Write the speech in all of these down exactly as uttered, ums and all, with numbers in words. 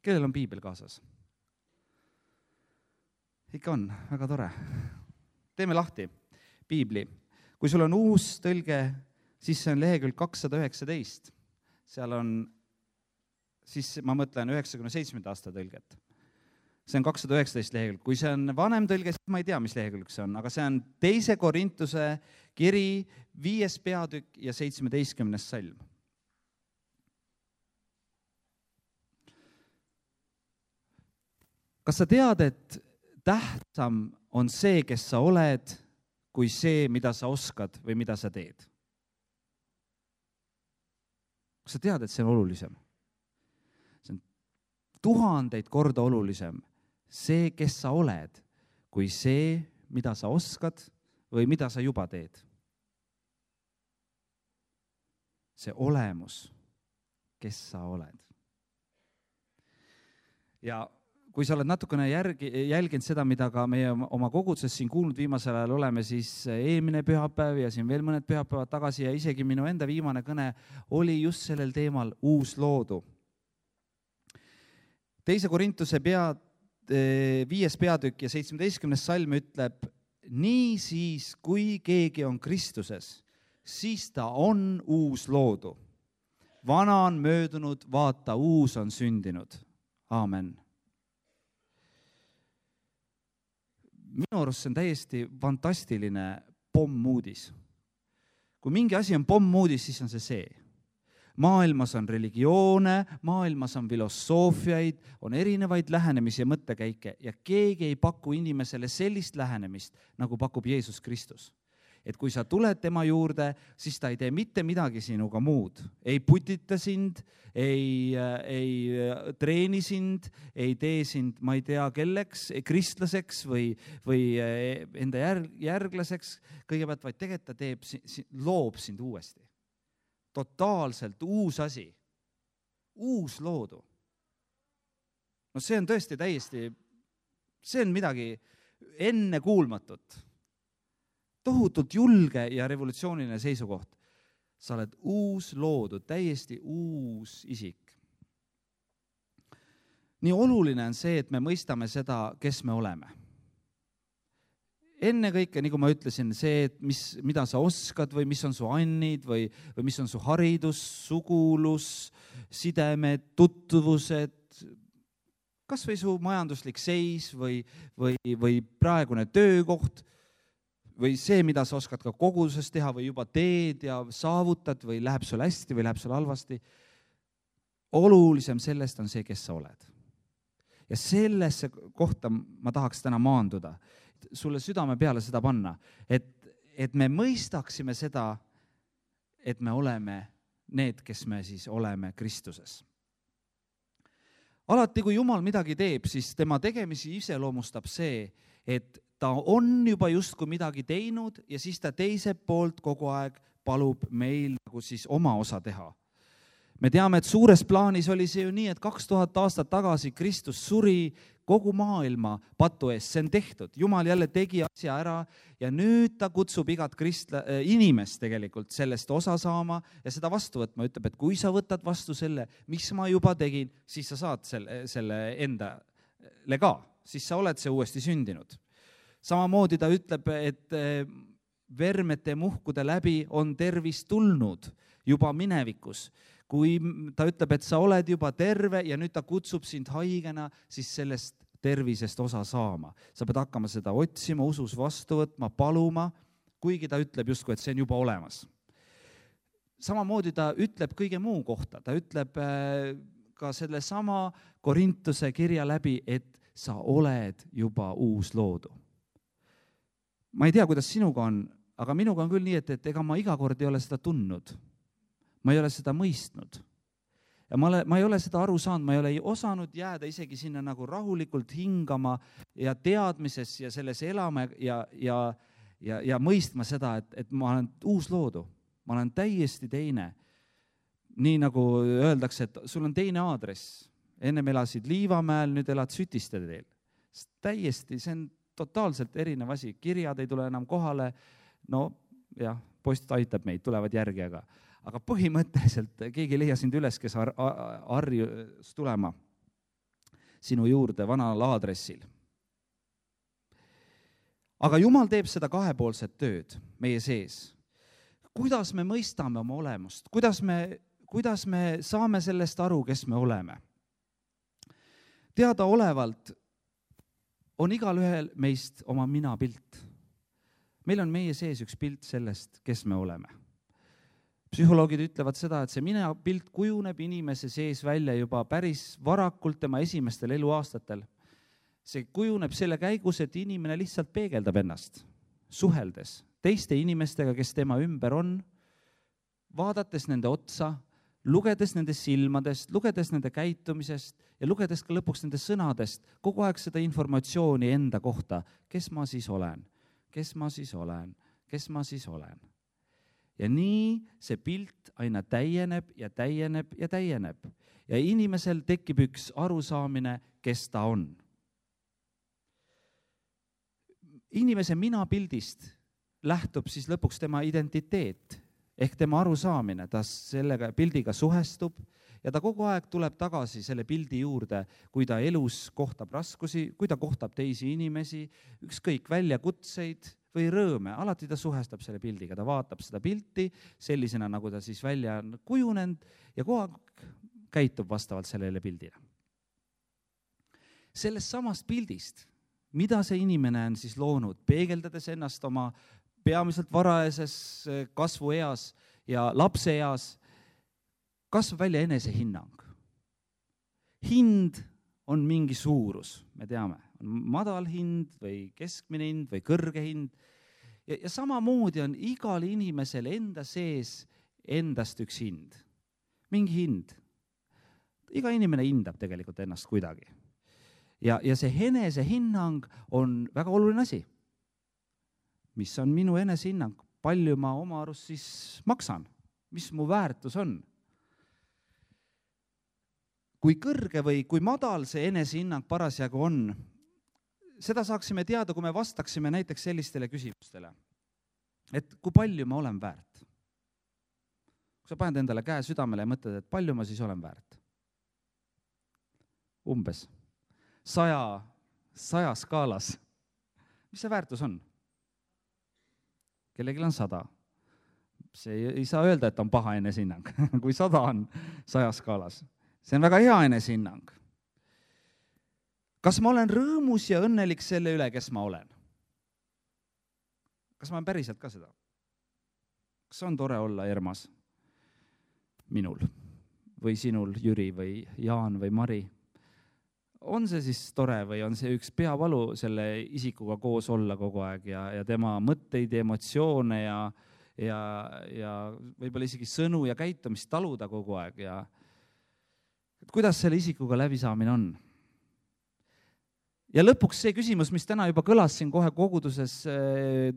Kellel on piibel kaasas? Ikka on, väga tore. Teeme lahti piibli. Kui sul on uus tõlge, siis see on lehekülg kakssada üheksateist. Seal on, siis ma mõtlen üheksakümne seitsmenda aasta tõlget. See on kakssada üheksateist lehekülg. Kui see on vanem tõlge, siis ma ei tea, mis lehekülg see on, aga see on teise Korintuse kiri, viies peatükk ja seitsmeteistkümnes salm. Kas sa tead, et tähtsam on see, kes sa oled, kui see, mida sa oskad või mida sa teed? Kas sa tead, et see on olulisem? See on tuhandeid korda olulisem see, kes sa oled, kui see, mida sa oskad või mida sa juba teed. See olemus, kes sa oled. Ja kui sa oled natukene järgi, jälginud seda, mida ka meie oma koguduses siin kuulnud viimasel ajal oleme, siis eelmine pühapäev ja siin veel mõned pühapäevad tagasi ja isegi minu enda viimane kõne oli just sellel teemal uus loodu. Teise Korintuse pea, viies peatükk ja seitsmeteistkümnes salm ütleb, nii siis, kui keegi on Kristuses, siis ta on uus loodu. Vana on möödunud, vaata, uus on sündinud. Aamen. Minu arust see on täiesti fantastiline pommuudis. Kui mingi asi on pommuudis, siis on see see. Maailmas on religioone, maailmas on filosoofiaid, on erinevaid lähenemisi ja mõttekäike ja keegi ei paku inimesele sellist lähenemist, nagu pakub Jeesus Kristus. Et kui sa tuled tema juurde, siis ta ei tee mitte midagi sinuga muud. Ei putita sind, ei, ei treeni sind, ei tee sind, ma ei tea, kelleks, kristlaseks või, või enda järglaseks. Kõigepealt vaid tegelikult ta teeb, loob sind uuesti. Totaalselt uus asi. Uus loodu. No see on tõesti täiesti, see on midagi enne kuulmatut. Tohutult julge ja revolutsiooniline seisukoht. Sa oled uus loodu, täiesti uus isik. Nii oluline on see, et me mõistame seda, kes me oleme. Enne kõike, nagu ma ütlesin, see, et mis, mida sa oskad või mis on su annid või, või mis on su haridus, sugulus, sidemed, tutvused, kas või su majanduslik seis või, või, või praegune töökoht, või see, mida sa oskad ka koguduses teha või juba teed ja saavutad või läheb sul hästi või läheb sul halvasti. Olulisem sellest on see, kes sa oled. Ja sellesse kohta ma tahaks täna maanduda, sulle südame peale seda panna, et, et me mõistaksime seda, et me oleme need, kes me siis oleme Kristuses. Alati, kui Jumal midagi teeb, siis tema tegemisi iseloomustab see, et ta on juba justkui midagi teinud ja siis ta teise poolt kogu aeg palub meil nagu siis oma osa teha. Me teame, et suures plaanis oli see ju nii, et kaks tuhat aastat tagasi Kristus suri kogu maailma patu eest, see on tehtud. Jumal jälle tegi asja ära ja nüüd ta kutsub igat kristla, inimest tegelikult sellest osa saama ja seda vastu võtma. Ütleb, et kui sa võtad vastu selle, mis ma juba tegin, siis sa saad selle, selle enda lega, siis sa oled see uuesti sündinud. Samamoodi ta ütleb, et vermete muhkude läbi on tervis tulnud juba minevikus. Kui ta ütleb, et sa oled juba terve ja nüüd ta kutsub sind haigena, siis sellest tervisest osa saama. Sa pead hakkama seda otsima, usus vastu võtma, paluma, kuigi ta ütleb justkui, et see on juba olemas. Samamoodi ta ütleb kõige muu kohta. Ta ütleb ka selle sama Korintuse kirja läbi, et sa oled juba uus loodu. Ma ei tea, kuidas sinuga on, aga minuga on küll nii, et, et ega ma iga kord ei ole seda tundnud. Ma ei ole seda mõistnud. Ja ma, ole, ma ei ole seda aru saanud, ma ei ole osanud jääda isegi sinna nagu rahulikult hingama ja teadmises ja selles elama ja, ja, ja, ja mõistma seda, et, et ma olen uus loodu. Ma olen täiesti teine. Nii nagu öeldakse, et sul on teine aadress. Ennem elasid Liivamäel, nüüd elad Sütiste teel. Täiesti, see on totaalselt erinev asi. Kirjad ei tule enam kohale. No jah, post aitab meid, tulevad järgi, aga Aga põhimõtteliselt keegi leia sind üles, kes ar- arjus tulema. sinu juurde vanal aadressil. Aga Jumal teeb seda kahepoolset tööd meie sees. Kuidas me mõistame oma olemust? Kuidas me, kuidas me saame sellest aru, kes me oleme? Teadaolevalt on igal ühel meist oma minapilt. Meil on meie sees üks pilt sellest, kes me oleme. Psühholoogid ütlevad seda, et see minapilt kujuneb inimese sees välja juba päris varakult tema esimestel eluaastatel. See kujuneb selle käigus, et inimene lihtsalt peegeldab ennast, suheldes teiste inimestega, kes tema ümber on, vaadates nende otsa, lugedes nende silmadest, lugedes nende käitumisest ja lugedes ka lõpuks nende sõnadest, kogu aeg seda informatsiooni enda kohta, kes ma siis olen, kes ma siis olen, kes ma siis olen. Ja nii see pilt aina täieneb ja täieneb ja täieneb. Ja inimesel tekib üks arusaamine, kes ta on. Inimese minapildist lähtub siis lõpuks tema identiteet ehk tema arusaamine, ta sellega pildiga suhestub ja ta kogu aeg tuleb tagasi selle pildi juurde, kui ta elus kohtab raskusi, kui ta kohtab teisi inimesi, ükskõik väljakutseid või rõõme, alati ta suhestab selle pildiga, ta vaatab seda pilti sellisena, nagu ta siis välja on kujunenud ja kogu aeg käitub vastavalt sellele pildile. Sellest samast pildist, mida see inimene on siis loonud, peegeldades ennast oma peamiselt varajases kasvueas ja lapseeas, kasvab välja enesehinnang. Hind on mingi suurus, me teame, on madal hind või keskmine hind või kõrge hind. Ja, ja samamoodi on igal inimesel enda sees endast üks hind, mingi hind. Iga inimene hindab tegelikult ennast kuidagi. Ja, ja see enesehinnang on väga oluline asi. Mis on minu enesehinnang? Palju ma oma arust siis maksan? Mis mu väärtus on? Kui kõrge või kui madal see enesehinnang parasjagu on, seda saaksime teada, kui me vastaksime näiteks sellistele küsimustele. Et kui palju ma olen väärt? Kui sa paned endale käe südamele ja mõtled, et palju ma siis olen väärt? Umbes. Saja, saja skaalas. Mis see väärtus on? Kellegil on sada. See ei saa öelda, et on paha enesehinnang, kui sada on saja skaalas. See on väga hea enesehinnang. Kas ma olen rõõmus ja õnnelik selle üle, kes ma olen? Kas ma olen päriselt ka seda? Kas on tore olla Ermas? Minul või sinul, Jüri või Jaan või Mari? On see siis tore või on see üks peavalu selle isikuga koos olla kogu aeg ja, ja tema mõtteid ja emotsioone ja, ja, ja võib-olla isegi sõnu ja käitumist taluda kogu aeg ja kuidas selle isikuga läbisaamine on? Ja lõpuks see küsimus, mis täna juba kõlas siin kohe koguduses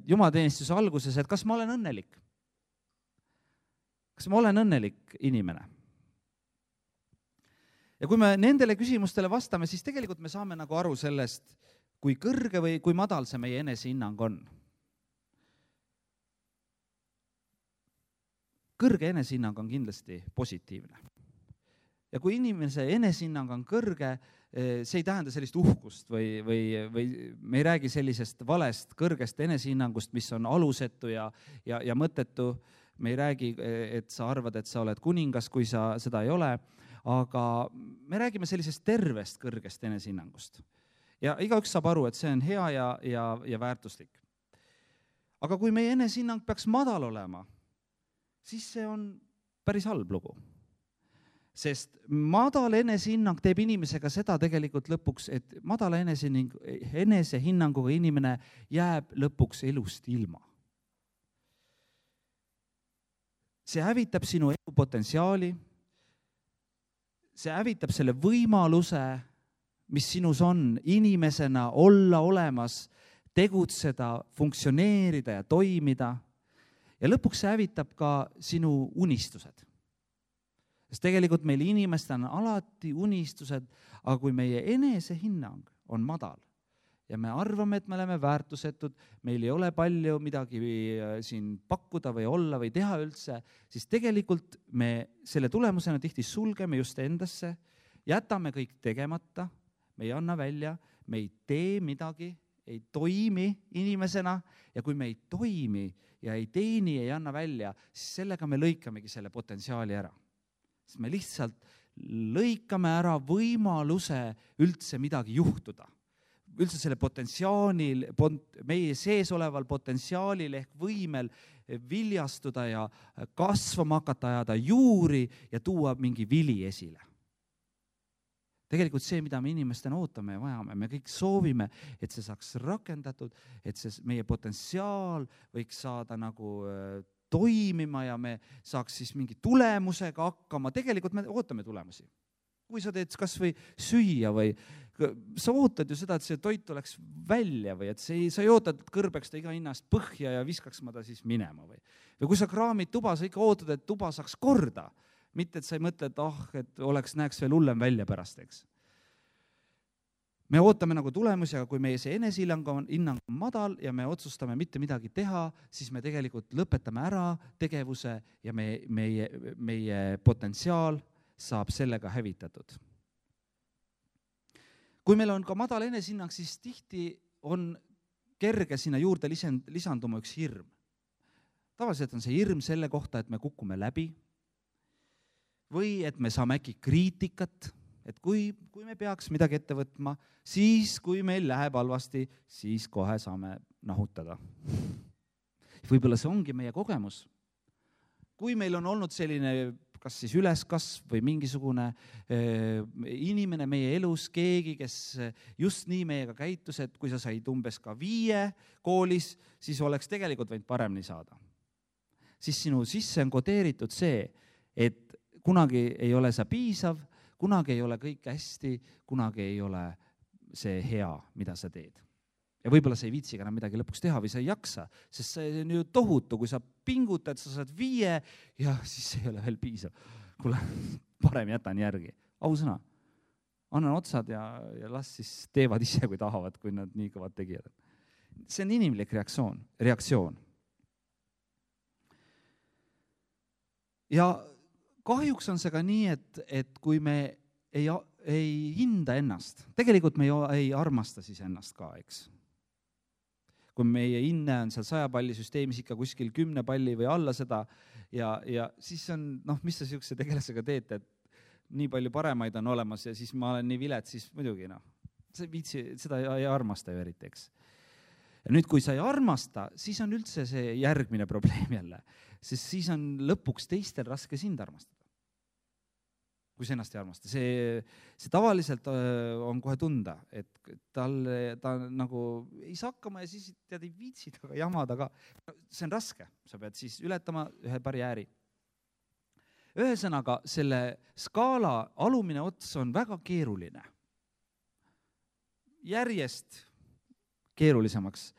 jumalateenistuse alguses, et kas ma olen õnnelik? Kas ma olen õnnelik inimene? Ja kui me nendele küsimustele vastame, siis tegelikult me saame nagu aru sellest, kui kõrge või kui madal see meie enesehinnang on. Kõrge enesehinnang on kindlasti positiivne. Ja kui inimese enesehinnang on kõrge, see ei tähenda sellist uhkust või, või, või me ei räägi sellisest valest kõrgest enesehinnangust, mis on alusetu ja, ja, ja mõttetu. Me ei räägi, et sa arvad, et sa oled kuningas, kui sa seda ei ole. Aga me räägime sellisest tervest kõrgest enesehinnangust. Ja igaüks saab aru, et see on hea ja, ja, ja väärtuslik. Aga kui meie enesehinnang peaks madal olema, siis see on päris halb lugu. Sest madal enesehinnang teeb inimesega seda tegelikult lõpuks, et madala enesehinnanguga inimene jääb lõpuks elust ilma. See hävitab sinu elupotentsiaali, see hävitab selle võimaluse, mis sinus on, inimesena olla olemas, tegutseda, funktsioneerida ja toimida. Ja lõpuks see hävitab ka sinu unistused. Sest tegelikult meil inimestel on alati unistused, aga kui meie enesehinnang on madal ja me arvame, et me oleme väärtusetud, meil ei ole palju midagi siin pakkuda või olla või teha üldse, siis tegelikult me selle tulemusena tihti sulgeme just endasse, jätame kõik tegemata, me ei anna välja, me ei tee midagi, ei toimi inimesena ja kui me ei toimi ja ei teeni, ei anna välja, siis sellega me lõikamegi selle potentsiaali ära. Sest me lihtsalt lõikame ära võimaluse üldse midagi juhtuda. Üldse selle potentsiaalil, meie sees oleval potentsiaalil ehk võimel viljastuda ja kasvama hakata, ajada juuri ja tuua mingi vili esile. Tegelikult see, mida me inimestena ootame ja vajame, me kõik soovime, et see saaks rakendatud, et see meie potentsiaal võiks saada nagu toimima ja me saaks siis mingi tulemusega hakkama. Tegelikult me ootame tulemusi. Kui sa teed kas või süüa või sa ootad ju seda, et see toit oleks välja või et see, sa ei oota, et kõrbeks ta iga hinnast põhja ja viskaks ma ta siis minema. Või, või kui sa kraamid tuba, sa ikka ootad, et tuba saaks korda. Mitte, et sa ei mõtle, et ah, et oleks, näeks veel hullem välja pärast, eks. Me ootame nagu tulemusi, aga kui meie see enesehinnang on, hinnang on madal ja me otsustame mitte midagi teha, siis me tegelikult lõpetame ära tegevuse ja me, meie, meie potentsiaal saab sellega hävitatud. Kui meil on ka madal enesehinnang, siis tihti on kerge sinna juurde lisanduma üks hirm. Tavaliselt on see hirm selle kohta, et me kukume läbi, või et me saame äkki kriitikat, et kui, kui me peaks midagi ette võtma, siis kui meil läheb halvasti, siis kohe saame nahutada. Võib-olla see ongi meie kogemus. Kui meil on olnud selline, kas siis üleskasv või mingisugune äh, inimene meie elus, keegi, kes just nii meiega käitus, et kui sa said umbes ka viie koolis, siis oleks tegelikult võinud paremini saada. Siis sinu sisse on kodeeritud see, et kunagi ei ole sa piisav, kunagi ei ole kõik hästi, kunagi ei ole see hea, mida sa teed. Ja võib-olla sa ei viitsi enam midagi lõpuks teha või sa ei jaksa, sest see on ju tohutu, kui sa pingutad, sa saad viie ja siis ei ole veel piisav. Kuule, parem jätan järgi. Ausõna, annan otsad ja, ja las siis teevad ise, kui tahavad, kui nad nii kõvad tegijad. See on inimlik reaktsioon. reaktsioon. Ja kahjuks on see ka nii, et, et kui me ei, ei hinda ennast, tegelikult me ei armasta siis ennast ka, eks. Kui meie hinne on seal saja palli süsteemis ikka kuskil kümne palli või alla seda ja, ja siis on, noh, mis sa siukse tegelasega teed, et nii palju paremaid on olemas ja siis ma olen nii vilet, siis muidugi, noh, see viitsi, seda ei armasta ju eriti, eks. Ja nüüd, kui sa ei armasta, siis on üldse see järgmine probleem jälle, sest siis on lõpuks teistel raske sind armastada. Kui sa ennast ei armasta. See, see tavaliselt on kohe tunda, et tal, ta nagu ei saa hakkama ja siis tead ei viitsi taga jamada ka. See on raske, sa pead siis ületama ühe barjääri. Ühesõnaga, selle skaala alumine ots on väga keeruline. Järjest keerulisemaks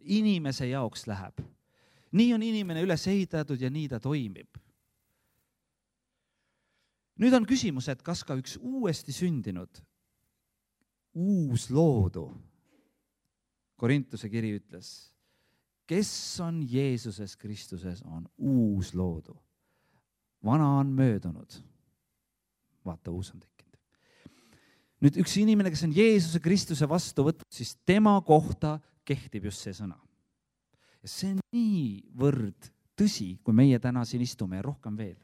inimese jaoks läheb. Nii on inimene üles ehitatud ja nii ta toimib. Nüüd on küsimus, et kas ka üks uuesti sündinud, uus loodu, Korintuse kiri ütles, kes on Jeesuses Kristuses, on uus loodu. Vana on möödunud. Vaata, uus on tekkinud. Nüüd üks inimene, kes on Jeesuse Kristuse vastu võtnud, siis tema kohta kehtib just see sõna. Ja see on niivõrd tõsi, kui meie täna siin istume ja rohkem veel.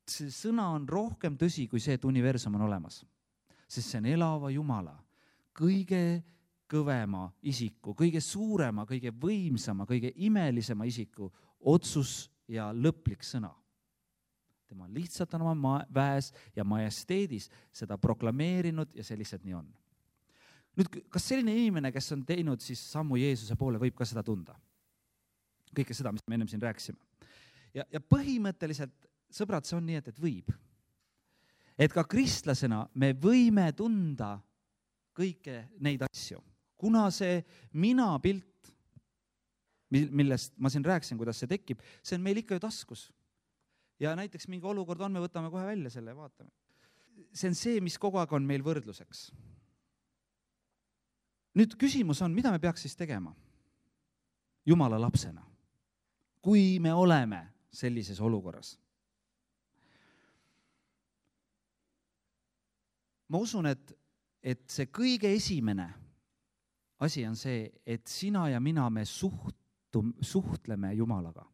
See sõna on rohkem tõsi kui see, et universum on olemas. Sest see on elava Jumala, kõige kõvema isiku, kõige suurema, kõige võimsama, kõige imelisema isiku otsus ja lõplik sõna. Tema lihtsalt on oma väes ja majesteedis seda proklameerinud ja see lihtsalt nii on. Nüüd, kas selline inimene, kes on teinud siis sammu Jeesuse poole, võib ka seda tunda? Kõike seda, mis me ennem siin rääkisime. Ja, ja põhimõtteliselt sõbrad, see on nii, et, et võib. Et ka kristlasena me võime tunda kõike neid asju. Kuna see mina pilt, millest ma siin rääkisin, kuidas see tekib, see on meil ikka ju taskus. Ja näiteks mingi olukord on, me võtame kohe välja selle ja vaatame. See on see, mis kogu aeg on meil võrdluseks. Nüüd küsimus on, mida me peaks siis tegema? Jumala lapsena. Kui me oleme sellises olukorras. Ma usun, et et see kõige esimene asi on see, et sina ja mina me suhtum, suhtleme Jumalaga.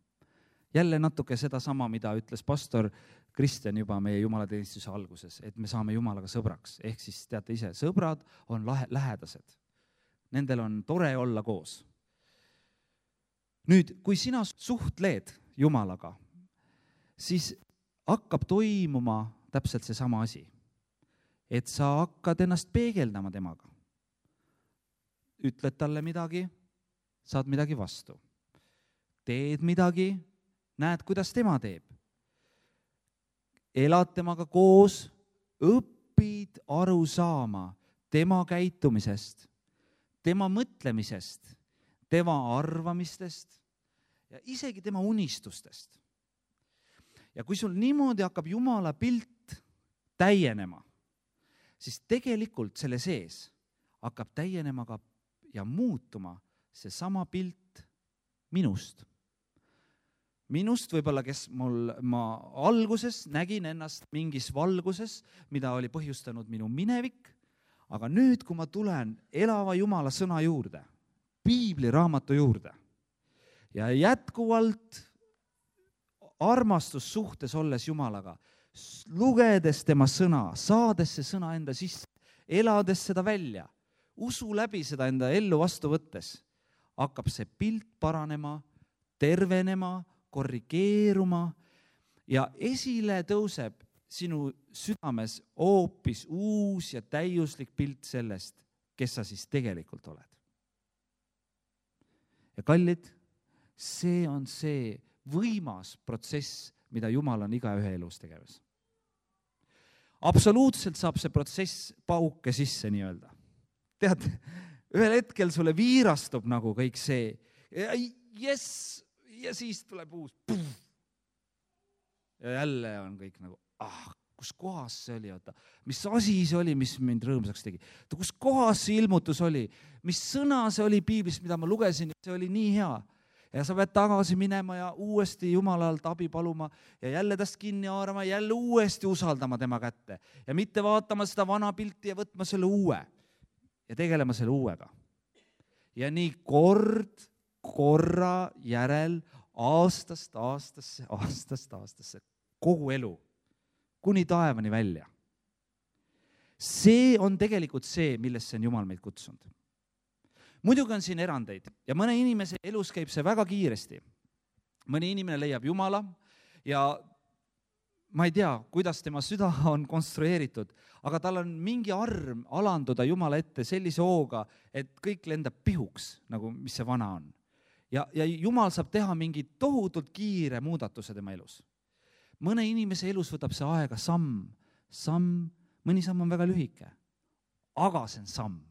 Jälle natuke sedasama, mida ütles pastor Kristjan juba meie jumalateenistuse alguses, et me saame Jumalaga sõbraks. Ehk siis teate ise, sõbrad on lahe, lähedased. Nendel on tore olla koos. Nüüd, kui sina suhtled Jumalaga, siis hakkab toimuma täpselt see sama asi. Et sa hakkad ennast peegeldama temaga. Ütled talle midagi, saad midagi vastu. Teed midagi, näed, kuidas tema teeb. Elad temaga koos, õpid aru saama tema käitumisest, tema mõtlemisest, tema arvamistest ja isegi tema unistustest. Ja kui sul niimoodi hakkab Jumala pilt täienema, siis tegelikult selle sees hakkab täienema ka ja muutuma see sama pilt minust. Minust võib-olla, kes mul, ma alguses nägin ennast mingis valguses, mida oli põhjustanud minu minevik, aga nüüd, kui ma tulen elava Jumala sõna juurde, Piibli raamatu juurde ja jätkuvalt armastussuhtes olles Jumalaga, lugedes tema sõna, saades see sõna enda sisse, elades seda välja, usu läbi seda enda ellu vastu võttes, hakkab see pilt paranema, tervenema, korrigeeruma ja esile tõuseb sinu südames hoopis uus ja täiuslik pilt sellest, kes sa siis tegelikult oled. Ja kallid, see on see võimas protsess, mida Jumal on igaühe elus tegemas. Absoluutselt saab see protsess pauke sisse nii-öelda. Tead, ühel hetkel sulle viirastub nagu kõik see, yes, ja siis tuleb uus. Puh. Ja jälle on kõik nagu, ah, kus kohas see oli, oota, mis asi see oli, mis mind rõõmsaks tegi. Kus kohas see ilmutus oli, mis sõna see oli Piiblis, mida ma lugesin, see oli nii hea. Ja sa pead tagasi minema ja uuesti Jumalalt abi paluma ja jälle tast kinni haarama, jälle uuesti usaldama tema kätte. Ja mitte vaatama seda vana pilti ja võtma selle uue ja tegelema selle uuega. Ja nii kord korra järel aastast aastasse, aastast aastasse, kogu elu, kuni taevani välja. See on tegelikult see, millesse on Jumal meid kutsunud. Muidugi on siin erandeid ja mõne inimese elus käib see väga kiiresti. Mõni inimene leiab Jumala ja ma ei tea, kuidas tema süda on konstrueeritud, aga tal on mingi arm alanduda Jumala ette sellise hooga, et kõik lendab pihuks, nagu mis see vana on. Ja, ja Jumal saab teha mingi tohutult kiire muudatuse tema elus. Mõne inimese elus võtab see aega samm, samm, mõni samm on väga lühike, aga see on samm,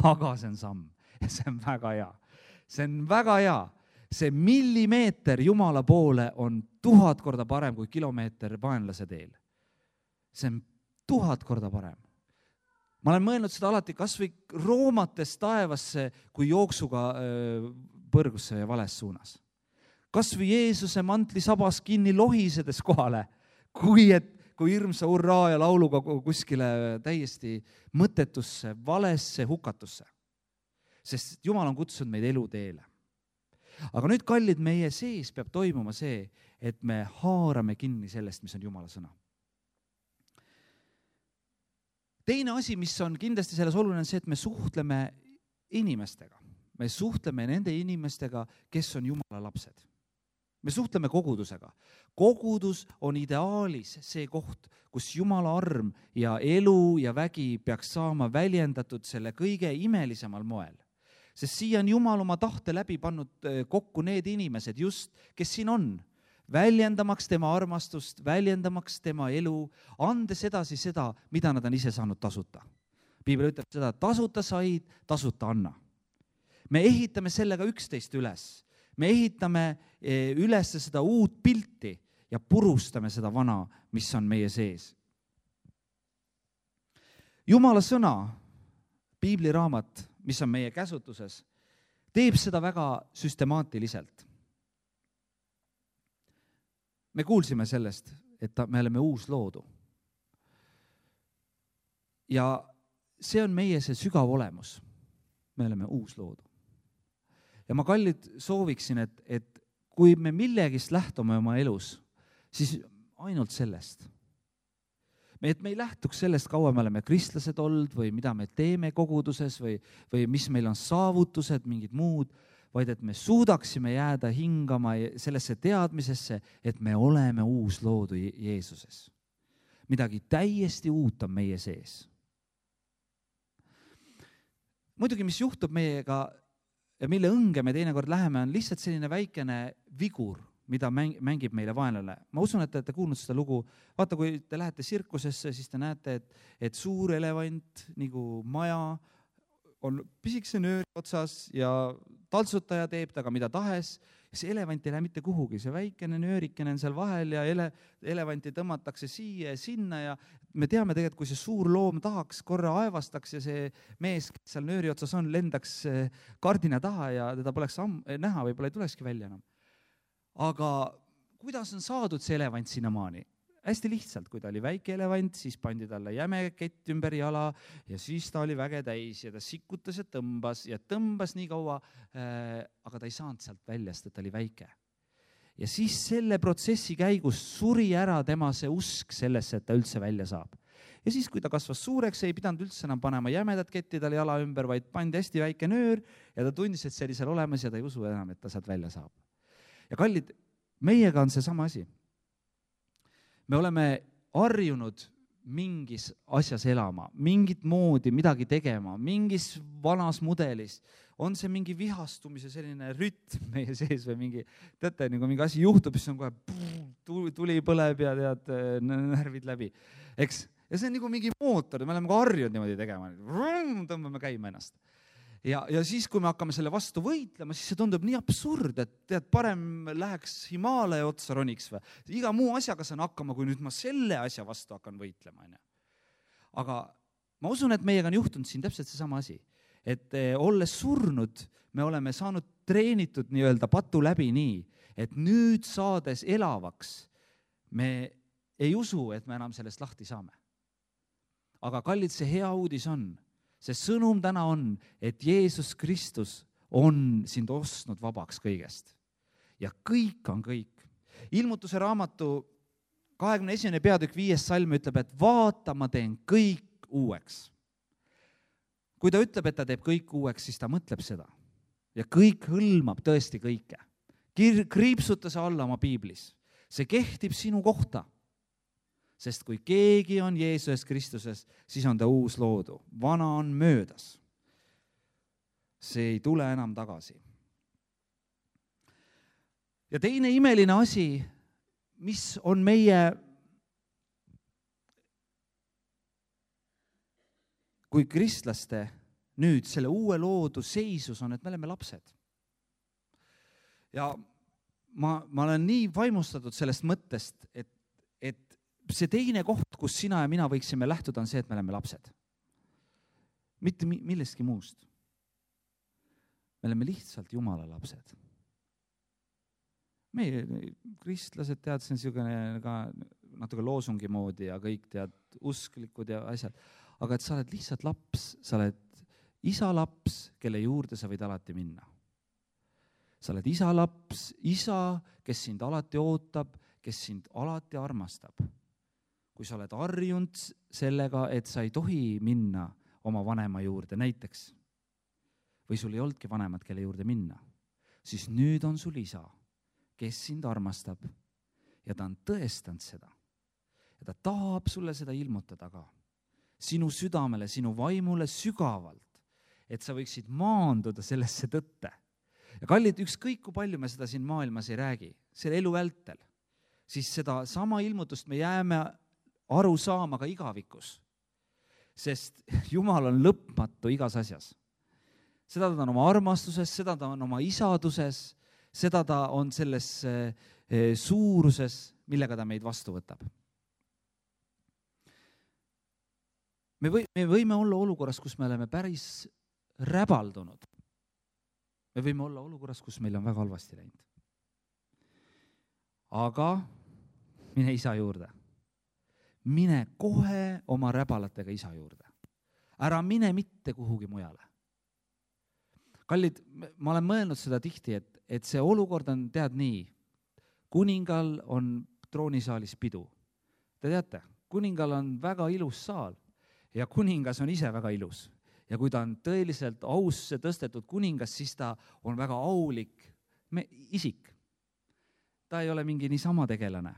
aga see on samm ja see on väga hea. See on väga hea. See millimeeter Jumala poole on tuhat korda parem kui kilomeeter vaenlase teel. See on tuhat korda parem. Ma olen mõelnud seda alati kas või roomates taevasse, kui jooksuga põrgusse ja vales suunas. Kas või Jeesuse mantli sabas kinni lohisedes kohale, kui, et, kui hirmsa hurraa ja lauluga kuskile täiesti mõttetusse, valesse hukatusse. Sest Jumal on kutsunud meid eluteele. Aga nüüd, kallid, meie sees peab toimuma see, et me haarame kinni sellest, mis on Jumala sõna. Teine asi, mis on kindlasti selles oluline, on see, et me suhtleme inimestega. Me suhtleme nende inimestega, kes on Jumala lapsed. Me suhtleme kogudusega. Kogudus on ideaalis see koht, kus Jumala arm ja elu ja vägi peaks saama väljendatud selle kõige imelisemal moel. Sest siia on Jumal oma tahte läbi pannud kokku need inimesed just, kes siin on, väljendamaks tema armastust, väljendamaks tema elu, andes edasi seda, mida nad on ise saanud tasuta. Piibel ütleb seda, tasuta said, tasuta anna. Me ehitame sellega üksteist üles. Me ehitame üles seda uut pilti ja purustame seda vana, mis on meie sees. Jumala sõna, Piibli raamat, mis on meie käsutuses, teeb seda väga süstemaatiliselt. Me kuulsime sellest, et me oleme uus loodu. Ja see on meie see sügav olemus. Me oleme uus loodu. Ja ma kallid sooviksin, et, et kui me millegist lähtume oma elus, siis ainult sellest. Et me ei lähtuks sellest, kaua me oleme kristlased olnud või mida me teeme koguduses või, või mis meil on saavutused, mingid muud, vaid et me suudaksime jääda hingama sellesse teadmisesse, et me oleme uus loodu Jeesuses. Midagi täiesti uut on meie sees. Muidugi, mis juhtub meiega ja mille õnge me teinekord läheme, on lihtsalt selline väikene vigur, mida mängib meile vaenlane. Ma usun, et te olete kuulnud seda lugu. Vaata, kui te lähete sirkusesse, siis te näete, et, et suur elevant, nagu maja, on pisikese nööri otsas ja taltsutaja teeb taga mida tahes. Ja see elevant ei lähe mitte kuhugi. See väikene nöörikene on seal vahel ja ele, elevanti tõmmatakse siia ja sinna. Ja me teame tegelikult, kui see suur loom tahaks, korra aevastaks ja see mees, kes seal nööri otsas on, lendaks kardina taha ja teda poleks am- näha, võib-olla ei tulekski välja enam. Aga kuidas on saadud see elevant sinna maani? Hästi lihtsalt, kui ta oli väike elevant, siis pandi talle jäme kett ümber jala ja siis ta oli väge täis ja ta sikutas ja tõmbas ja tõmbas nii kaua, äh, aga ta ei saanud sealt välja, sest ta oli väike. Ja siis selle protsessi käigus suri ära tema see usk sellesse, et ta üldse välja saab. Ja siis, kui ta kasvas suureks, ei pidanud üldse enam panema jämedat ketti talle jala ümber, vaid pandi hästi väike nöör ja ta tundis, et see oli seal olemas ja ta ei usu enam, et ta sealt välja saab. Ja kallid, meiega on see sama asi. Me oleme harjunud mingis asjas elama, mingit moodi midagi tegema, mingis vanas mudelis. On see mingi vihastumise selline rütm meie sees või mingi, teate, nagu mingi asi juhtub, siis on kohe puu, tuli põleb ja tead närvid läbi. Eks? Ja see on nagu mingi mootor, me oleme ka harjunud niimoodi tegema. Tõmbame käima ennast. Ja, ja siis, kui me hakkame selle vastu võitlema, siis see tundub nii absurd, et tead, parem läheks Himaalaja otsa roniks või. Iga muu asjaga saan hakkama, kui nüüd ma selle asja vastu hakkan võitlema. Aga ma usun, et meiega on juhtunud siin täpselt seesama asi. Et olles surnud, me oleme saanud treenitud nii-öelda patu läbi nii, et nüüd saades elavaks, me ei usu, et me enam sellest lahti saame. Aga kallid, see hea uudis on, see sõnum täna on, et Jeesus Kristus on sind ostnud vabaks kõigest. Ja kõik on kõik. Ilmutuse raamatu kahekümne esimene peatükk viies salm ütleb, et vaata, ma teen kõik uueks. Kui ta ütleb, et ta teeb kõik uueks, siis ta mõtleb seda. Ja kõik hõlmab tõesti kõike. Kriipsuta see alla oma piiblis. See kehtib sinu kohta. Sest kui keegi on Jeesus Kristuses, siis on ta uus loodu. Vana on möödas. See ei tule enam tagasi. Ja teine imeline asi, mis on meie, kui kristlaste nüüd selle uue loodu seisus on, et me oleme lapsed. Ja ma, ma olen nii vaimustatud sellest mõttest, et, et see teine koht, kus sina ja mina võiksime lähtuda, on see, et me oleme lapsed. Mitte millestki muust. Me oleme lihtsalt Jumala lapsed. Meie kristlased tead, see on niisugune ka natuke loosungi moodi ja kõik tead usklikud ja asjad. Aga et sa oled lihtsalt laps, sa oled isa laps, kelle juurde sa võid alati minna. Sa oled isa laps, isa, kes sind alati ootab, kes sind alati armastab. Kui sa oled harjunud sellega, et sa ei tohi minna oma vanema juurde näiteks, või sul ei olnudki vanemad, kelle juurde minna, siis nüüd on sul isa, kes sind armastab ja ta on tõestanud seda. Ja ta tahab sulle seda ilmutada ka. Sinu südamele, sinu vaimule sügavalt, et sa võiksid maanduda sellesse tõtte. Ja kallid, ükskõik kui palju me seda siin maailmas ei räägi, selle elu vältel, siis seda sama ilmutust me jääme aru saama ka igavikus. Sest Jumal on lõpmatu igas asjas. Seda ta on oma armastuses, seda ta on oma isaduses, seda ta on selles suuruses, millega ta meid vastu võtab. Me, või, me võime olla olukorras, kus me oleme päris räbaldunud. Me võime olla olukorras, kus meil on väga halvasti läinud. Aga mine isa juurde. Mine kohe oma räbalatega isa juurde. ära mine mitte kuhugi mujale. Kallid, ma olen mõelnud seda tihti, et, et see olukord on, tead nii, kuningal on troonisaalis pidu. Te teate, kuningal on väga ilus saal ja kuningas on ise väga ilus. Ja kui ta on tõeliselt ausse tõstetud kuningas, siis ta on väga aulik me, isik. Ta ei ole mingi niisama tegelane.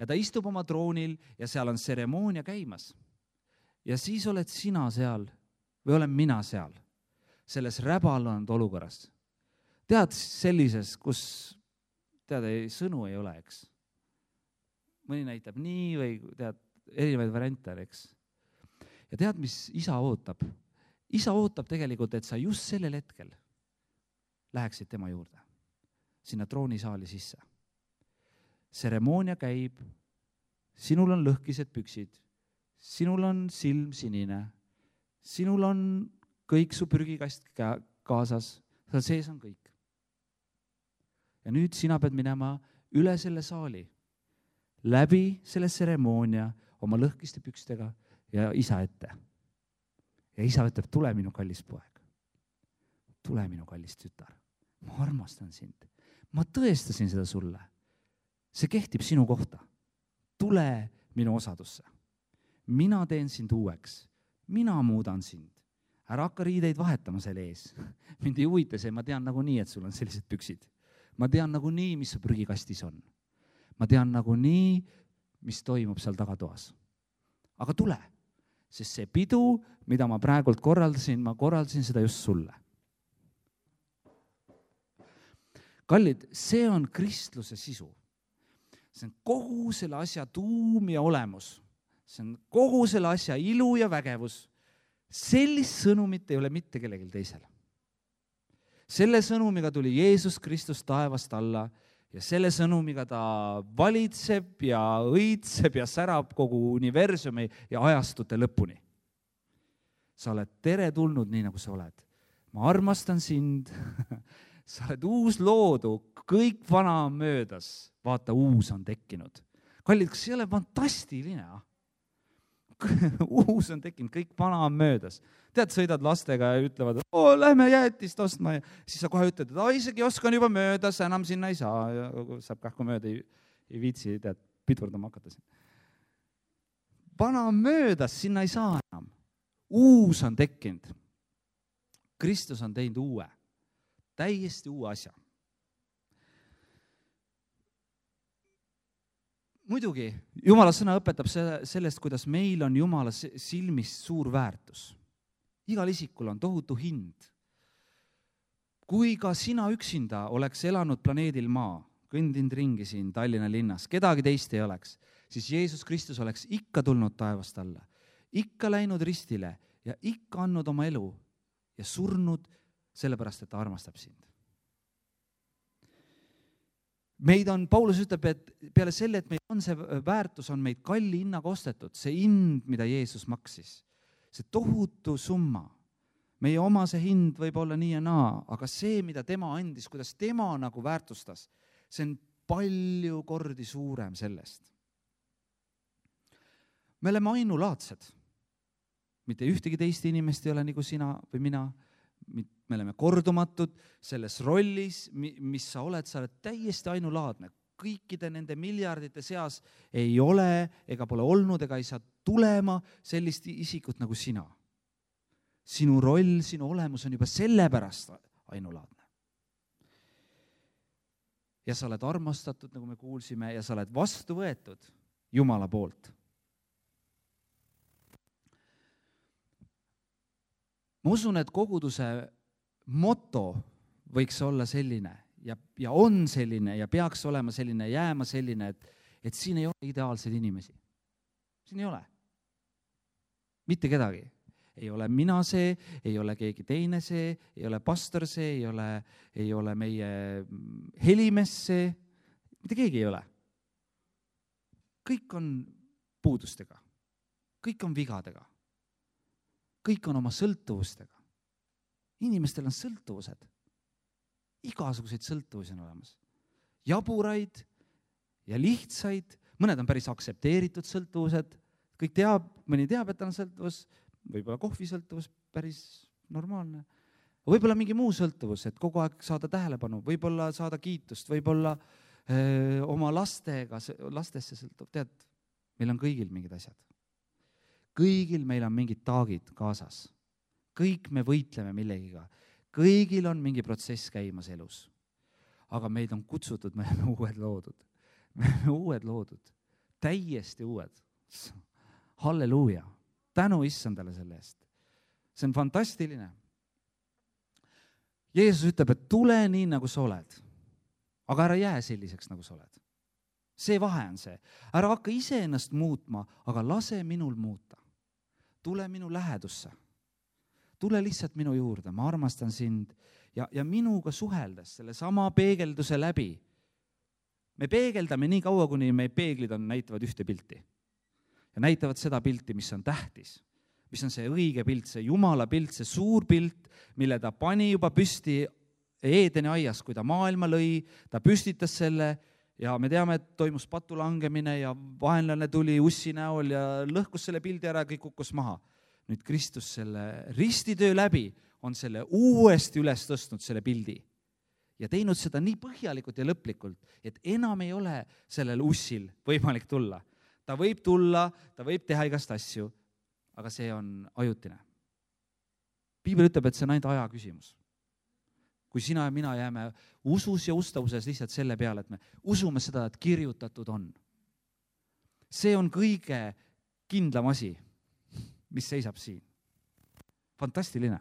Ja ta istub oma troonil ja seal on tseremoonia käimas. Ja siis oled sina seal või olen mina seal, selles räbalanud olukorras. Tead sellises, kus tead, ei, sõnu ei ole, eks. Mõni näitab nii või tead, erinevaid variante, eks. Ja tead, mis isa ootab? Isa ootab tegelikult, et sa just sellel hetkel läheksid tema juurde, sinna troonisaali sisse. Tseremoonia käib, sinul on lõhkised püksid, sinul on silm sinine, sinul on kõik su prügikast kaasas, seal sees on kõik. Ja nüüd sina pead minema üle selle saali, läbi selle tseremoonia oma lõhkiste pükstega ja isa ette. Ja isa ütleb, tule minu kallis poeg, tule minu kallis tütar, ma armastan sind, ma tõestasin seda sulle, see kehtib sinu kohta, tule minu osadusse, mina teen sind uueks, mina muudan sind, ära hakka riideid vahetama selle ees, mind ei huvita see, ma tean nagu nii, et sul on sellised püksid, ma tean nagu nii, mis su prügikastis on, ma tean nagu nii, mis toimub seal tagatoas, aga tule. Sest see pidu, mida ma praegult korraldasin, ma korraldasin seda just sulle. Kallid, see on kristluse sisu. See on kogu selle asja tuum ja olemus. See on kogu selle asja ilu ja vägevus. Sellist sõnumit ei ole mitte kellelgi teisel. Selle sõnumiga tuli Jeesus Kristus taevast alla ja selle sõnumiga ta valitseb ja õitseb ja särab kogu universumi ja ajastute lõpuni. Sa oled teretulnud nii, nagu sa oled. Ma armastan sind, sa oled uus loodu, kõik vana on möödas, vaata, uus on tekkinud. Kallid, kas see ei ole fantastiline? Uus on tekkinud, kõik vana on möödas. Tead, sõidad lastega ja ütlevad, oo, lähme jäätist ostma. Ja siis sa kohe ütled, et isegi oskan juba möödas, enam sinna ei saa. Ja saab kahku mööda, ei, ei viitsi, tead, pidurdama hakata. Vana on möödas, sinna ei saa enam. Uus on tekkinud. Kristus on teinud uue, täiesti uue asja. Muidugi, Jumala sõna õpetab sellest, kuidas meil on Jumala silmis suur väärtus. Igal isikul on tohutu hind. Kui ka sina üksinda oleks elanud planeedil maa, kõndinud ringi siin Tallinna linnas, kedagi teist ei oleks, siis Jeesus Kristus oleks ikka tulnud taevast alla, ikka läinud ristile ja ikka andnud oma elu ja surnud sellepärast, et ta armastab sind. Meid on, Paulus ütleb, et peale selle, et meil on see väärtus, on meid kalli hinnaga ostetud, see hind, mida Jeesus maksis. See tohutu summa. Meie oma see hind võib olla nii ja naa, aga see, mida tema andis, kuidas tema nagu väärtustas, see on palju kordi suurem sellest. Me oleme ainulaadsed. Mitte ühtegi teist inimest ei ole nagu sina või mina. Me oleme kordumatud selles rollis, mis sa oled, sa oled täiesti ainulaadne. Kõikide nende miljardite seas ei ole ega pole olnud ega ei saa tulema sellist isikut nagu sina. Sinu roll, sinu olemus on juba sellepärast ainulaadne. Ja sa oled armastatud, nagu me kuulsime, ja sa oled vastu võetud Jumala poolt. Ma usun, et koguduse moto võiks olla selline ja, ja on selline ja peaks olema selline, jääma selline, et, et siin ei ole ideaalseid inimesi. Siin ei ole. Mitte kedagi. Ei ole mina see, ei ole keegi teine see, ei ole pastor see, ei ole, ei ole meie helimees see, mitte keegi ei ole. Kõik on puudustega, kõik on vigadega. Kõik on oma sõltuvustega. Inimestel on sõltuvused. Igasuguseid sõltuvusi on olemas. Jaburaid ja lihtsaid. Mõned on päris aksepteeritud sõltuvused. Kõik teab, mõni teab, et on sõltuvus. võib-olla kohvisõltuvus päris normaalne, võib-olla mingi muu sõltuvus, et kogu aeg saada tähelepanu, võib-olla saada kiitust, võib-olla öö, oma lastega, lastesse sõltub, tead, meil on kõigil mingid asjad. Kõigil meil on mingid taagid kaasas. Kõik me võitleme millegiga. Kõigil on mingi protsess käimas elus. Aga meid on kutsutud, me oleme uued loodud. Me oleme uued loodud. Täiesti uued. Halleluuja. Tänu issandale selle eest. See on fantastiline. Jeesus ütleb, et tule nii, nagu sa oled. Aga ära jää selliseks, nagu sa oled. See vahe on see. Ära hakka ise ennast muutma, aga lase minul muuta. Tule minu lähedusse. Tule lihtsalt minu juurde, ma armastan sind ja, ja minuga suheldes selle sama peegelduse läbi. Me peegeldame nii kaua, kuni meie peeglid on, näitavad ühte pilti. Ja näitavad seda pilti, mis on tähtis, mis on see õige pilt, see Jumala pilt, see suur pilt, mille ta pani juba püsti Eedeni aias, kui ta maailma lõi, ta püstitas selle ja me teame, et toimus patu langemine ja vaenlane tuli ussi näol ja lõhkus selle pildi ära, kõik kukkus maha. Nüüd Kristus selle ristitöö läbi on selle uuesti üles tõstnud selle pildi ja teinud seda nii põhjalikult ja lõplikult, et enam ei ole sellel ussil võimalik tulla. Ta võib tulla, ta võib teha igast asju, aga see on ajutine. Piibel ütleb, et see on ainult aja küsimus. Kui sina ja mina jääme usus ja ustavuses lihtsalt selle peale, et me usume seda, et kirjutatud on. See on kõige kindlam asi, mis seisab siin. Fantastiline.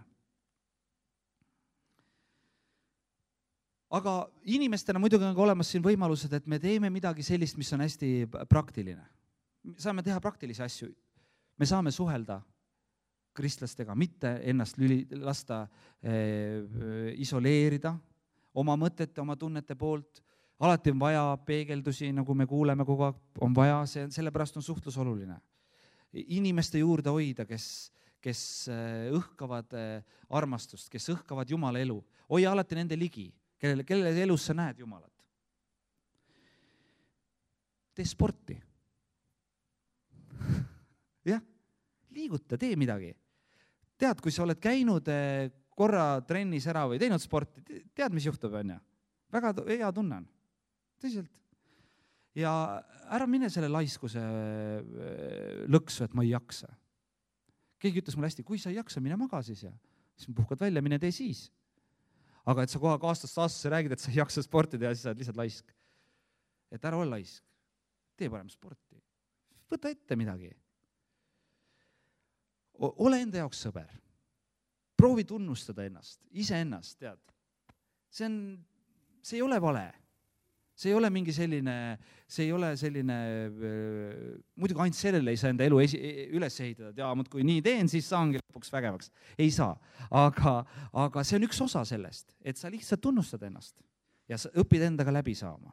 Aga inimestena muidugi on ka olemas siin võimalused, et me teeme midagi sellist, mis on hästi praktiline. Saame teha praktilisi asju. Me saame suhelda kristlastega, mitte ennast lüli, lasta eh, isoleerida oma mõtete, oma tunnete poolt. Alati on vaja peegeldusi, nagu me kuuleme kogu aeg, on vaja, see, sellepärast on suhtlus oluline. Inimeste juurde hoida, kes, kes õhkavad armastust, kes õhkavad Jumala elu. Hoia alati nende ligi, kelle, kelle elus sa näed Jumalat. Tee sporti. jah, liiguta, tee midagi. Tead, kui sa oled käinud korra trennis ära või teinud sporti, tead, mis juhtub, on ja? Väga hea tunnen. Tõsiselt. Ja ära mine selle laiskuse lõksu, et ma ei jaksa. Keegi ütles mulle hästi, kui sa ei jaksa, mine maga siis ja siis puhkad välja, mine tee siis. Aga et sa kohe aastast aastasse räägid, et sa ei jaksa sporti teha, siis sa oled lihtsalt laisk. Et ära ole laisk. Tee parem sporti. Võta ette midagi. Ole enda jaoks sõber. Proovi tunnustada ennast, ise ennast, tead. See on, see ei ole vale. See ei ole mingi selline, see ei ole selline, muidugi ainult sellele ei saa enda elu esi, üles ehitada, et jaa, kui nii teen, siis saangi lõpuks vägevaks. Ei saa, aga, aga see on üks osa sellest, et sa lihtsalt tunnustad ennast ja sa õpid endaga läbi saama.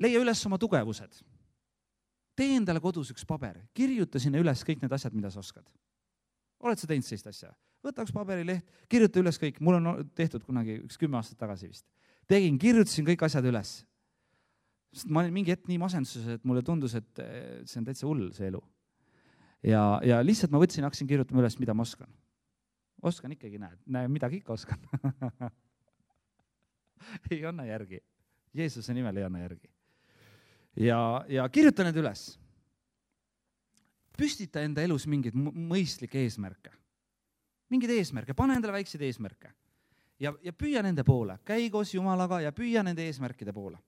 Leia üles oma tugevused. Tee endale kodus üks paber, kirjuta sinna üles kõik need asjad, mida sa oskad. Oled sa teinud sellist asja? Võta üks paberileht, kirjuta üles kõik, mul on tehtud kunagi üks kümme aastat tagasi vist. Tegin, kirjutasin kõik asjad üles. Sest ma olin mingi hetk nii masenduses, et mulle tundus, et see on täitsa hull, see elu. Ja, ja lihtsalt ma võtsin, hakkasin kirjutama üles, mida ma oskan. Oskan ikkagi, näed, näe, midagi ikka oskan. ei anna järgi. Jeesuse nimel ei anna järgi. Ja, ja kirjuta need üles. Püstita enda elus mingeid mõistlikke eesmärke. Mingid eesmärke, pane endale väikseid eesmärke. Ja, ja püüa nende poole, käi koos Jumalaga ja püüa nende eesmärkide poole.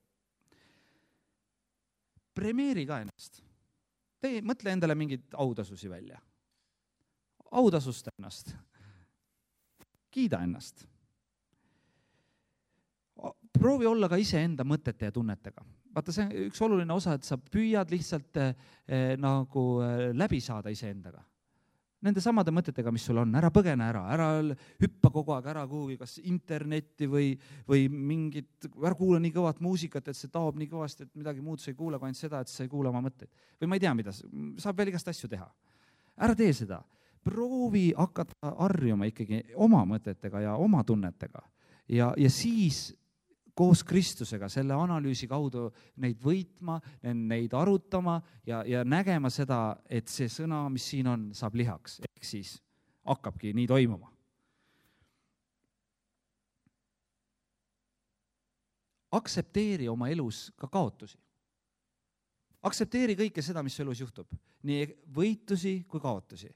Premeeri ka ennast. Tee, mõtle endale mingid autasusi välja. Autasusta ennast. Kiida ennast. Proovi olla ka ise enda mõtete ja tunnetega. Vaata, see on üks oluline osa, et sa püüad lihtsalt eh, nagu läbi saada ise endaga. Nende samade mõtetega, mis sul on, ära põgene ära, ära hüppa kogu aeg ära kuhugi, kas internetti või, või mingit, ära kuula nii kõvat muusikat, et see taob nii kõvasti, et midagi muud sa ei kuule, kui ainult seda, et sa ei kuule oma mõtteid. Või ma ei tea, mida, saab veel igast asju teha. Ära tee seda. Proovi hakata harjuma ikkagi oma mõtetega ja oma tunnetega. Ja, ja siis koos Kristusega selle analüüsi kaudu neid võitma, neid arutama ja, ja nägema seda, et see sõna, mis siin on, saab lihaks. Ehk siis hakkabki nii toimuma. Aksepteeri oma elus ka kaotusi. Aksepteeri kõike seda, mis elus juhtub. Nii võitusi kui kaotusi.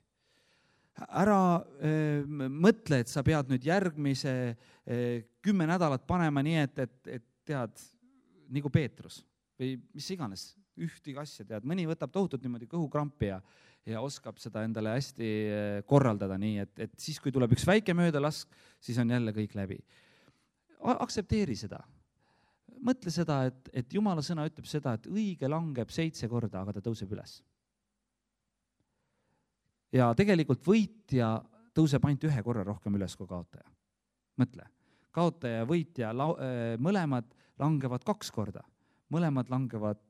Ära öö, mõtle, et sa pead nüüd järgmise öö, kümme nädalat panema nii, et, et, et tead, nagu Peetrus või mis iganes, ühtegi asja tead. Mõni võtab tohutult niimoodi kõhukrampi ja, ja oskab seda endale hästi korraldada nii, et, et siis, kui tuleb üks väike möödalask, siis on jälle kõik läbi. Aksepteeri seda. Mõtle seda, et, et Jumala sõna ütleb seda, et õige langeb seitse korda, aga ta tõuseb üles. Ja tegelikult võitja tõuseb ainult ühe korra rohkem üles kui kaotaja. Mõtle, kaotaja ja võitja la-, mõlemad langevad kaks korda, mõlemad langevad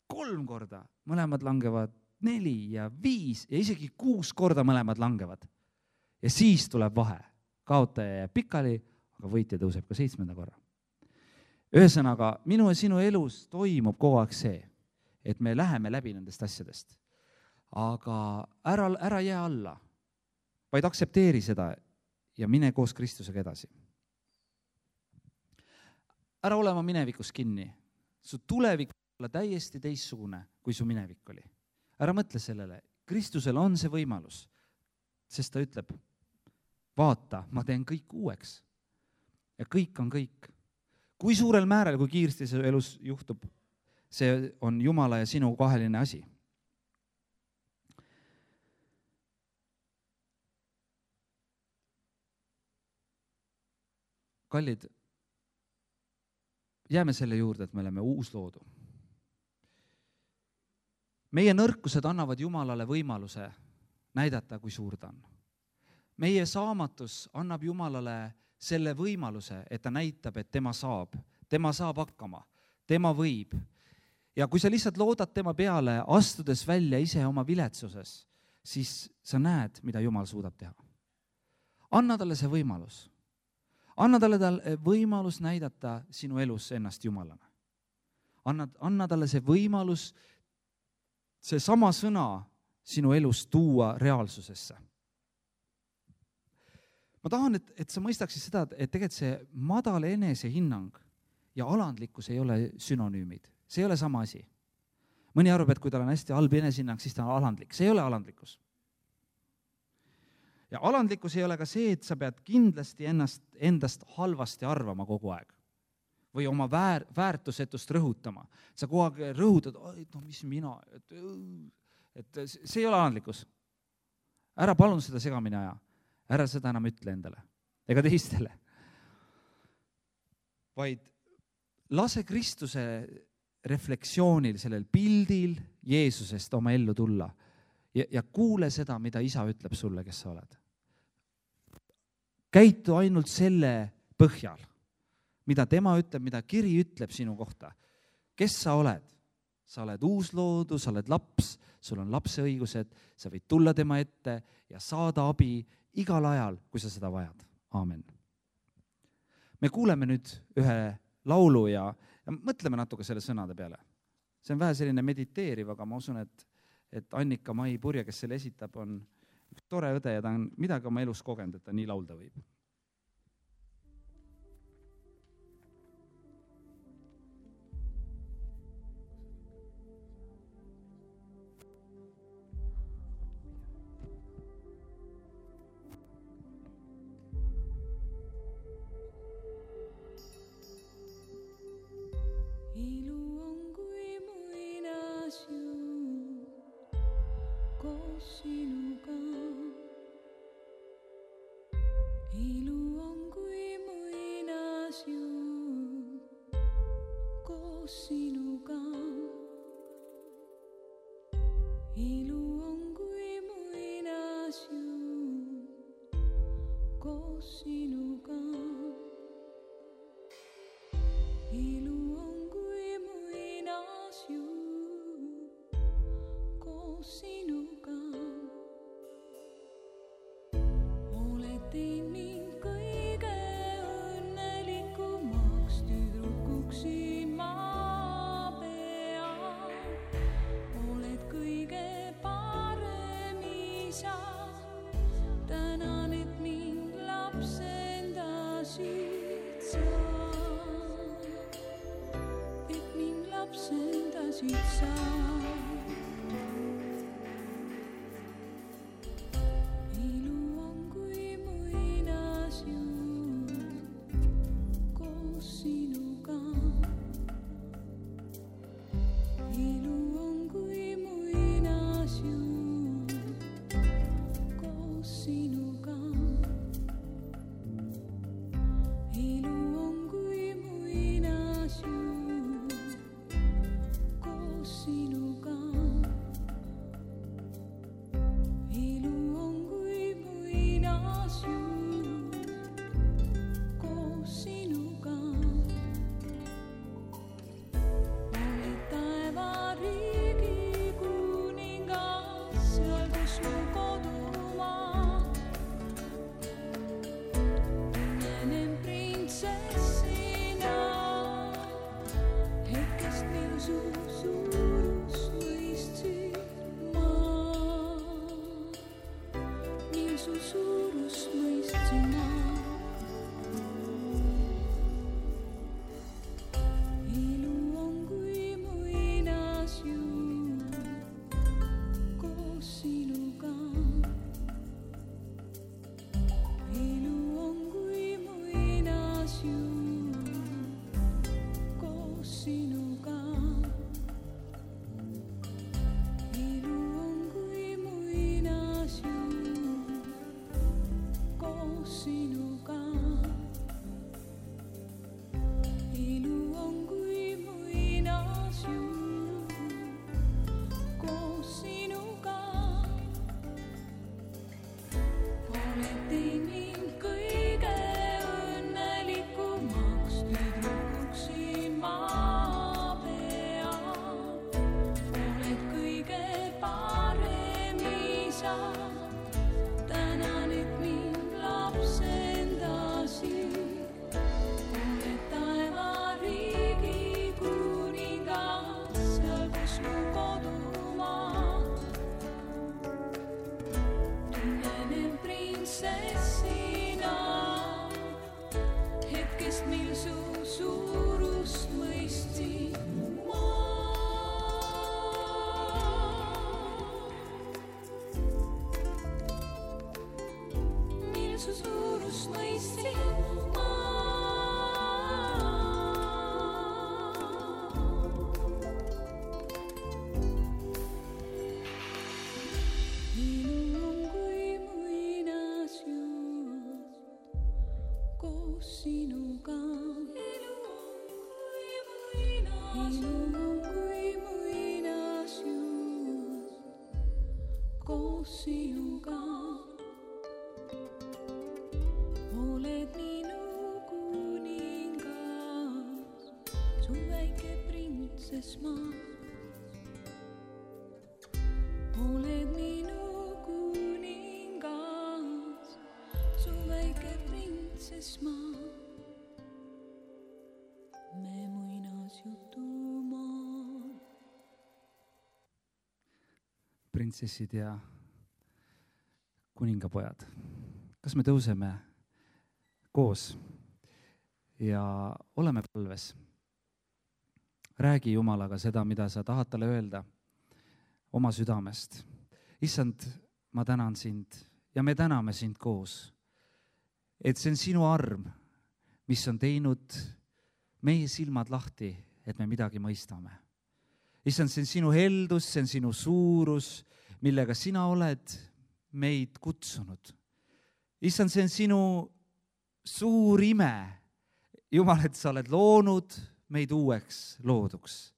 kolm korda, mõlemad langevad neli ja viis ja isegi kuus korda mõlemad langevad. Ja siis tuleb vahe. Kaotaja jääb pikali, aga võitja tõuseb ka seitsmenda korra. Ühesõnaga, minu ja sinu elus toimub kogu aeg see, et me läheme läbi nendest asjadest. Aga ära, ära jää alla, vaid aksepteeri seda ja mine koos Kristusega edasi. Ära olema minevikus kinni. Su tulevik olla täiesti teissugune, kui su minevik oli. Ära mõtle sellele. Kristusel on see võimalus, sest ta ütleb, vaata, ma teen kõik uueks. Ja kõik on kõik. Kui suurel määral, kui kiiresti see elus juhtub, see on Jumala ja sinu kaheline asi. Kallid, jääme selle juurde, et me oleme uus loodu. Meie nõrkused annavad Jumalale võimaluse näidata, kui suur ta on. Meie saamatus annab Jumalale selle võimaluse, et ta näitab, et tema saab, tema saab hakkama, tema võib. Ja kui sa lihtsalt loodad tema peale, astudes välja ise oma viletsuses, siis sa näed, mida Jumal suudab teha. Anna talle see võimalus. Anna talle talle võimalus näidata sinu elus ennast Jumalana. Anna, anna talle see võimalus, see sama sõna sinu elus tuua reaalsusesse. Ma tahan, et, et sa mõistaksid seda, et tegelikult see madal enesehinnang ja alandlikkus ei ole synonüümid. See ei ole sama asi. Mõni arvab, et kui tal on hästi halb enesehinnang, siis ta on alandlik. See ei ole alandlikkus. Ja alandlikkus ei ole ka see, et sa pead kindlasti ennast, endast halvasti arvama kogu aeg. Või oma väär, väärtusetust rõhutama. Sa kogu aeg rõhutad, no mis mina, et, et see ei ole alandlikkus. Ära palun seda segamini aja. Ära seda enam ütle endale ega teistele. Vaid lase Kristuse reflektsioonil, sellel pildil Jeesusest oma ellu tulla ja, ja kuule seda, mida isa ütleb sulle, kes sa oled. Käitu ainult selle põhjal, mida tema ütleb, mida kiri ütleb sinu kohta. Kes sa oled? Sa oled uusloodu, sa oled laps, sul on lapse õigused, sa võid tulla tema ette ja saada abi igal ajal, kui sa seda vajad. Aamen. Me kuuleme nüüd ühe laulu ja, ja mõtleme natuke selle sõnade peale. See on vähe selline mediteeriv, aga ma usun, et, et Annika Mai Purje, kes selle esitab, on üks tore õde ja ta on midagi oma elus kogenud, et ta nii laulda võib. Sinuka Printsessid ja kuningapojad. Kas me tõuseme koos ja oleme palves? Räägi Jumalaga seda, mida sa tahad talle öelda oma südamest. Issand, ma tänan sind ja me täname sind koos, et see on sinu arm, mis on teinud meie silmad lahti, et me midagi mõistame. Issand, see on sinu heldus, see on sinu suurus, millega sina oled meid kutsunud. Issand, see on sinu suur ime. Jumal, et sa oled loonud meid uueks looduks.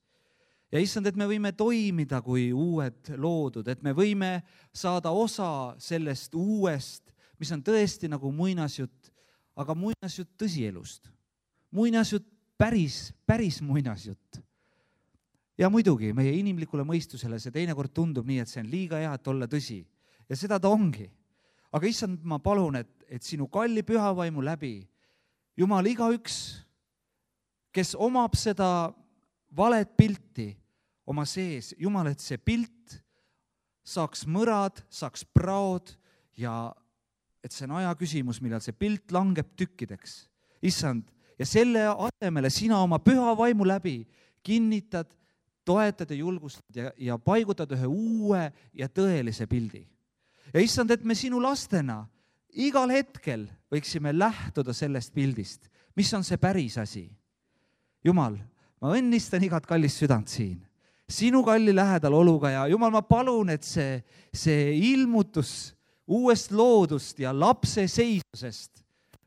Ja issand, et me võime toimida kui uued loodud, et me võime saada osa sellest uuest, mis on tõesti nagu muinasjutt, aga muinasjutt tõsielust. Muinasjutt päris, päris muinasjutt. Ja muidugi meie inimlikule mõistusele see teinekord tundub nii, et see on liiga hea, et olla tõsi. Ja seda ta ongi. Aga issand, ma palun, et, et sinu kalli pühavaimu läbi, Jumal, igaüks, kes omab seda valet pilti oma sees, Jumal, et see pilt saaks mõrad, saaks praod ja et see on aja küsimus, millal see pilt langeb tükkideks. Issand, ja selle asemele sina oma püha vaimu läbi kinnitad toetad ja julgustad ja, ja paigutad ühe uue ja tõelise pildi. Ja issand, et me sinu lastena igal hetkel võiksime lähtuda sellest pildist, mis on see päris asi. Jumal, ma õnnistan igat kallist südant siin, sinu kalli lähedal oluga ja Jumal, ma palun, et see, see ilmutus uuest loodust ja lapse seisusest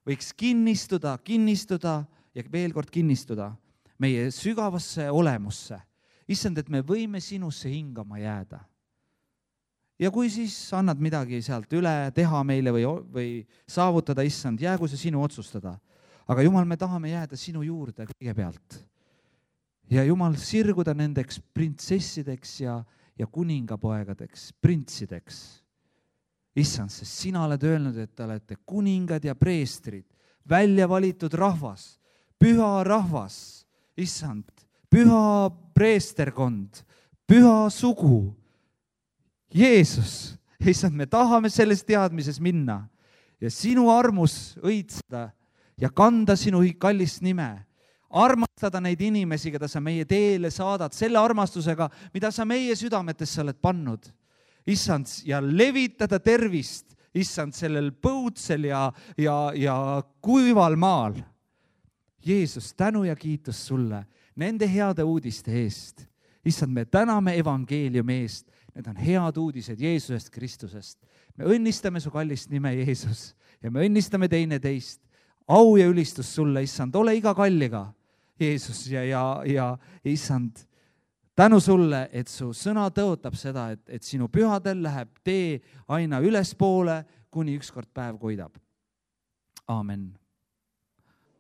võiks kinnistuda, kinnistuda ja veel kord kinnistuda meie sügavasse olemusse. Issand, et me võime sinusse hingama jääda. Ja kui siis annad midagi sealt üle teha meile või, või saavutada, issand, jäägu see sinu otsustada. Aga Jumal, me tahame jääda sinu juurde kõigepealt. Ja Jumal, sirguda nendeks printsessideks ja, ja kuningapoegadeks, printsideks. Issand, sest sina oled öelnud, et te olete kuningad ja preestrid, välja valitud rahvas, püha rahvas, issand, püha preesterkond, püha sugu. Jeesus, issand, me tahame selles teadmises minna ja sinu armus õitseda ja kanda sinu kallist nime. Armastada neid inimesi, keda sa meie teele saadad, selle armastusega, mida sa meie südametesse oled pannud. Issand, ja levitada tervist, issand, sellel põudsel ja, ja, ja kuival maal. Jeesus, tänu ja kiitus sulle nende heade uudiste eest. Issand, me täname evangeeliumi eest. Need on head uudised Jeesusest Kristusest. Me õnnistame su kallist nime, Jeesus, ja me õnnistame teine teist. Au ja ülistus sulle, issand, ole iga kalliga, Jeesus, ja, ja, ja issand, tänu sulle, et su sõna tõotab seda, et, et sinu pühadel läheb tee aina ülespoole, kuni ükskord päev koidab. Aamen.